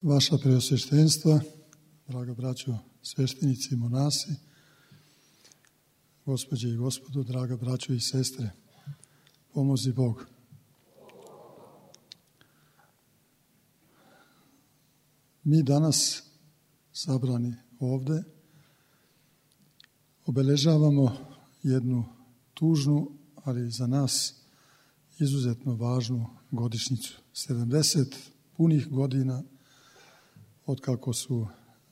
Vaša preosveštenstva, draga braćo sveštenici i monasi, gospođe i gospodo, draga braćo i sestre, pomozi Bog. Mi danas, sabrani ovde, obeležavamo jednu tužnu, ali za nas izuzetno važnu godišnjicu. 70 punih godina otkako su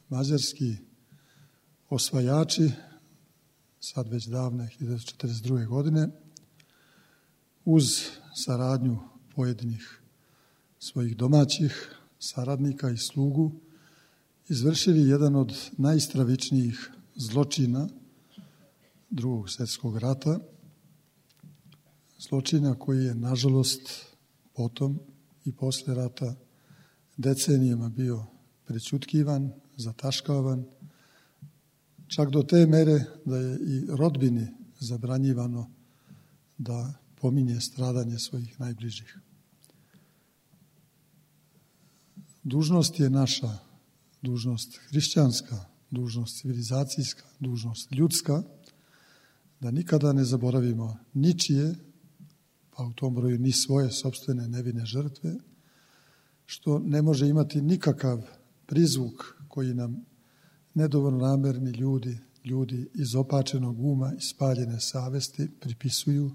mađarski osvajači, sad već davne 1942. godine, uz saradnju pojedinih svojih domaćih saradnika i slugu, izvršili jedan od najstravičnijih zločina Drugog svjetskog rata, zločina koji je, nažalost, potom i posle rata decenijama bio prećutkivan, zataškavan, čak do te mere da je i rodbini zabranjivano da pominje stradanje svojih najbližih. Dužnost je naša, dužnost hrišćanska, dužnost civilizacijska, dužnost ljudska, da nikada ne zaboravimo ničije, pa u tom broju ni svoje sopstvene nevine žrtve, što ne može imati nikakav prizvuk koji nam nedovoljno namerni ljudi izopačenog uma i spaljene savesti pripisuju